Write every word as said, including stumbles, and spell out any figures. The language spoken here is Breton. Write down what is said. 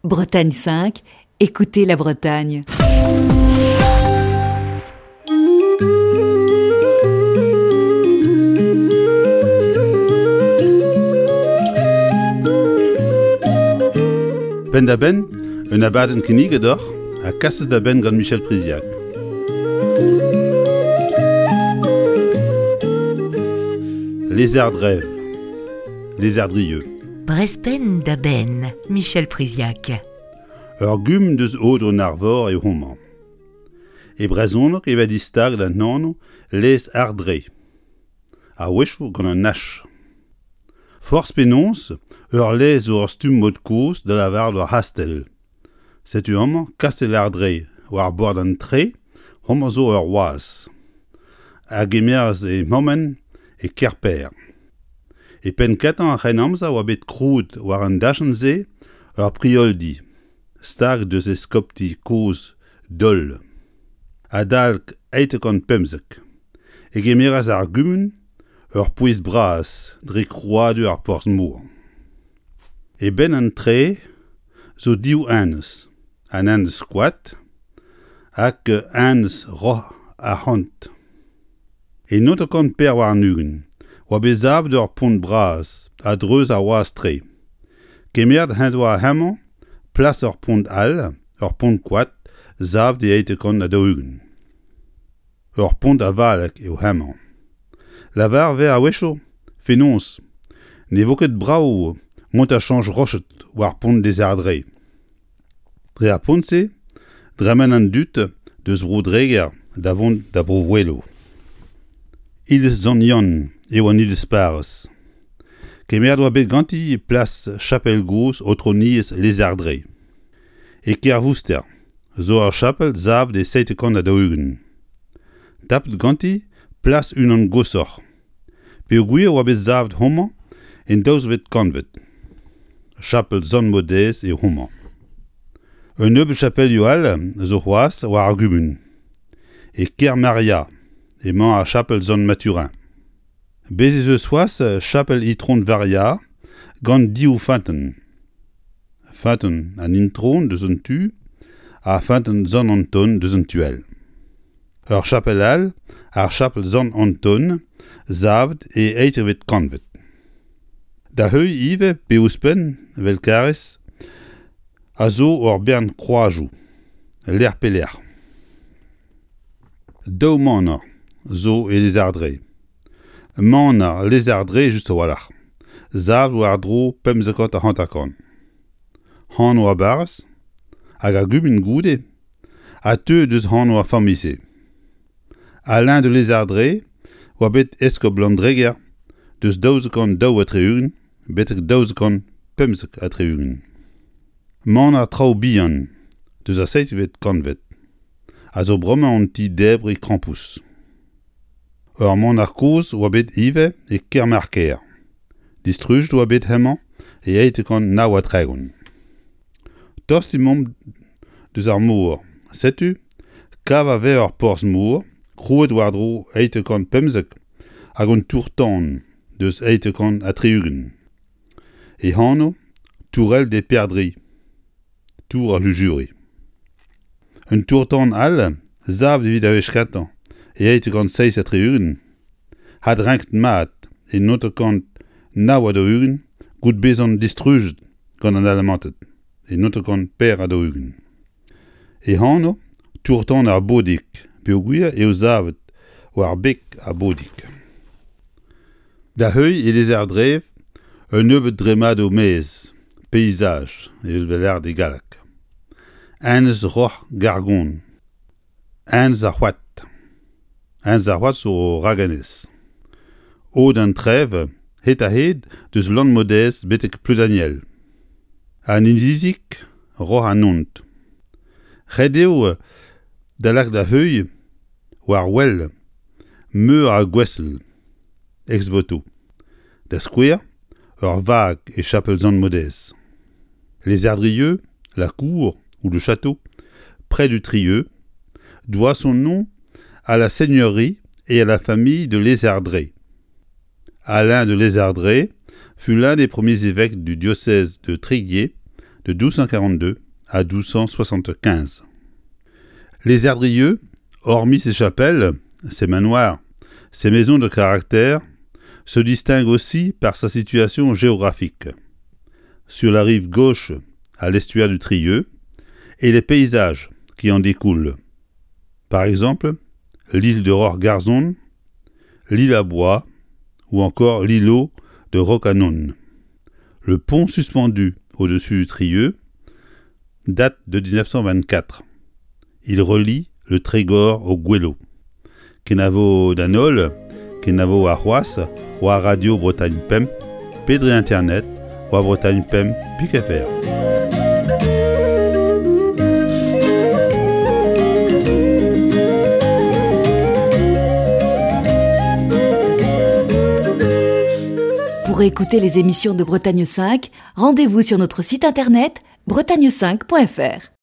Bretagne cinq, écoutez la Bretagne. Penn-da-benn, un abadenn kinniget deoc'h ha kaset da benn gant Michel Priziac. Lézardrève, Lézardrieux. Brezpenn da benn, Michel Priziac. Ur gumun deus Aodoù-an-Arvor eo homañ. E brezhoneg e vez distaget an anv Lez Ardre, a-wechoù gant un H. Forzh penaos, ur lez zo ur stumm mod-kozh da lavaret ur c'hastell. Setu amañ kastell Ardre war bord an Tre, homañ zo ur wazh. A gemeras e mammenn e Kerper. E penn-kentañ ar C'hrennamzer oa bet krouet war an dachenn-se ur prioldi, stag deus eskopti kozh Dol. Adalek eizh kant pemzek e gemeras ar gumun ur pouez bras dre krouadur ar porzh-mor. E benn an Tre zo div enez, an enez Koad hag enez Roc'h Arc'hant. E naontek kant pevar warn-ugent oa bet savet ur pont bras a-dreuz ar wazh-tre. Kemeret en doa hemañ plas ur pont all, ur pont koad, savet e eizh kant ha daou-ugent. Ur pont avalek eo hemañ. Lavar 'vez a-wechoù fenoz ne vo ket brav mont da chañch roched war pont Lezardre. Dre ar pont-se dremen an dud deus Bro-Dreger da vont da Bro-Oueloù. Iliz Sant-Yann eo an iliz parrez. Kemeret oa bet ganti plas chapel gozh aotrouniezh Lezardre. E Kervouster zo ur chapel savet e seizh kant ha daou-ugent. Tapet ganti plas unan goshoc'h. Peogwir oa bet savet homañ en daouzvet kantved. Chapel Sant-Maodez eo homañ. Un nebeud chapelioù all zo c'hoazh war ar gumun. E Kermaria emañ ar chapel Sant-Mathurin. Bez' ez eus c'hoazh chapel Itron Varia gant div feunteun. Feunteun an Intron deus un tu ha feunteun Sant-Anton deus an tu all. Ur chapel all, ar chapel Sant-Anton, savet e eizhvet kantved. Da heuilh ivez pe ouzhpenn, evel karrez, a zo ur bern kroazioù, lec'h pe lec'h. Daou maner zo e Lezardre. Maner Lezardre just a-walc'h. Savet war-dro pemzek ha hanter-kant. Anv ar barrez hag ar gumun goude a teu deus anv ar familh-se. Alain de Lézardré oa bet eskob Landreger deus daouzek kant daou ha tri-ugent betek daouzek kant pemzek ha tri-ugent. Maner Traoù Bihan deus ar seizhvet kantved a zo bremañ an ti-debriñ krampouezh. Ur maner kozh oa bet ivez e Kermarker. Distrujet oa bet hemañ e eizh kant nav ha tregont. Tost emaomp deus ar mor. Setu kav a vez ur porzh-mor krouet war-dro eizh kant pemzek hag un tour-tan deus eizh kant ha tri-ugent. E anv Tourelle des Perdrix, tour ar Lujuri. Un tour-tan all savet evit ar wech kentañ e eizh kant seizh ha tri-ugent, adrenket mat e naontek kant nav ha daou-ugent goude bezañ distrujet gant an Alamanted e naontek kant pevar ha daou-ugent. E anv Tour-tan ar Bodig peogwir eo savet war beg ar Bodig. Da heuilh e Lezardrev un nebeud dremmadoù maez, paysage evel 'vez lâret e galleg. Enez Roc'h Gargon, Enez ar C'hoad. Enez ar C'hoad zo ragenez. Aod an Trev, hed-ha-hed deus Lanmodez betek Pleudaniel. An Inizi Roc'h an Hont. Ret eo da lakaat da heuilh war wel meur a gouestl, ex-voto. Da skouer, ur vag e chapel Sant-Maodez. Lézardrieux, la cour ou le château, près du Trieux, doit son nom à la seigneurie et à la famille de Lézardré. Alain de Lézardré fut l'un des premiers évêques du diocèse de Tréguier de douze cent quarante-deux à douze cent soixante-quinze. Lézardrieux, hormis ses chapelles, ses manoirs, ses maisons de caractère, se distingue aussi par sa situation géographique. Sur la rive gauche, à l'estuaire du Trieux, et les paysages qui en découlent. Par exemple, l'île de Roc'h-Garzon, l'île à Bois ou encore l'îlot de Rocanon. Le pont suspendu au-dessus du Trieux date de dix-neuf cent vingt-quatre. Il relie le Trégor au Goëlo. Kenavo d'an holl, kenavo ar c'hoazh, war Radio Bretagne Pemp, pedre Internet, war Bretagne Pemp, pik F R. Pour écouter les émissions de Bretagne cinq, rendez-vous sur notre site internet bretagne cinq point F R.